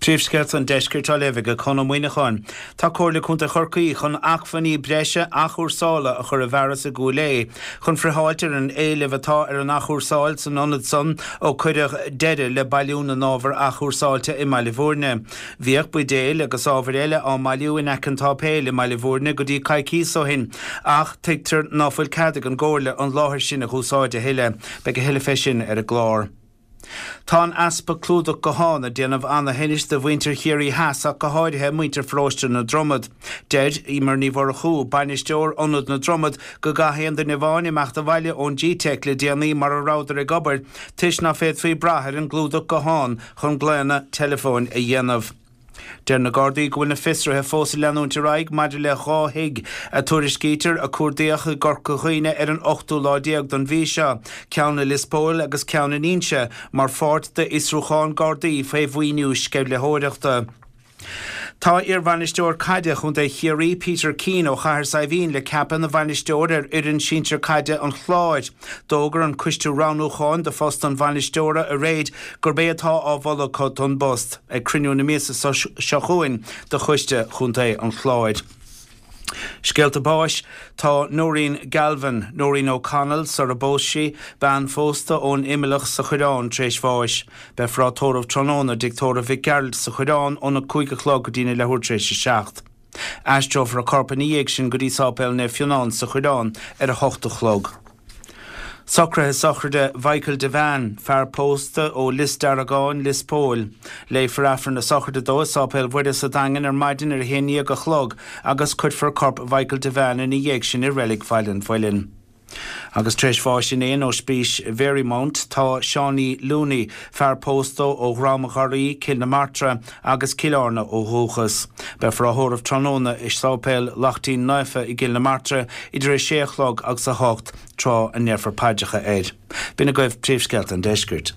Príomhscéalta an Deiscirt á léamh ag Conn Ó Muíneacháin. Tá Comhairle Contae Chorcaí chun acmhainní breise athchúrsála a chur i bhfearas i gCúil Aodha chun friotháilt ar an éileamh atá ar an athchúrsáil san ionad san ó cuireadh deireadh le bailiú na n-ábhar athchúrsáilte i mBaile Bhúirne. Bhíodh buidéil agus ábhair eile á mbailiú in aice an tsáipéil i mBaile Bhúirne go dtí coicíos ó shin ach tuigtear ná fuil cead ag an gComhairle an láthair sin a dh'úsáid a thuilleadh. Beidh a thuilleadh fé sin ar an gclár. Tá an easpa clúdach guthán ag déanamh ana-thinnis do mhuintir Chiarraí Theas ach go háirithe muintir pharóiste na Dromad. Deir Emer Ní Mhurchú, bainisteoir Ionad na Dromad, go gcaithfidh aon duine amháin imeacht abhaile ón G-Teic le déanaí mara rabhadar ag obair toisc ná féadfaí brath ar an gclúdach guthán chun glaonna teileafóin a dhéanamh. Deir na Gardaí go bhfuil na fiosruithe fós ag leanúint ar aghaidh maidir le 2 thigh a tuairiscítear a cuardaíodh i gCorca Dhuibhne ar an ochtú lá déag don mhí seo, ceann i Lios Póil agus ceann in Inse, mar pháirt d'fhiosrúchán Gardaí faoi mhaoiniú sceimhlitheoireachta. Tá iarbhainisteoir caide Chontae Chiarraí, Peter Keane ó Chathair Saidhbhín le ceapadh ina bhainisteoir ar fhoireann sinsir caide an Chláir. D'fhógair an coiste roghnúcháin do phost an bhainisteora aréir gurb é atá á mholadh acu don bpost ag cruinniú na míosa seo chugainn de Choiste Chontae an Chláir. Scéalta báis Tá Noreen Galvin, Noreen O'Connell sar a bpós sí, bean phósta ón Imileach sa Choireán tar éis bháis. Beifear á tórramh tráthnóna i dTigh Tórraimh Mhic Gearailt sa Choireán óna 5 a chlog go dtína leathuair tar éis a 7. Aistreofar a corp ina dhiaidh sin go dtí Sáipéal Naomh Fionán sa Choireán ar a hocht a chlog. Socruithe sochraide Mhichael Devane, fear pósta ó Lios Deargáin, Lios Póil. Léifear Aifreann na sochraide dó i Sáipéal Mhuire sa Daingean ar maidin ar a haon ndéag a chlog agus cuirfear corp Mhichael Devane ina dhiaidh sin i Reilig Bhaile an Mhuilinn. Agus tar éis bháis inné in Ospís Mharymount tá Seánie Looney, fear pósta ó Dhrom an Gharraí, Cill na Martra agus Cill Airne ó dhúchas. Beifear á thórramh tráthnóna i Sáipéal Lachtaín Naofa i gCill na Martra idir a sé a chlog agus a hocht tráth a ndéarfar paidreacha air. B'in agaibh príomhscéalta an deiscirt.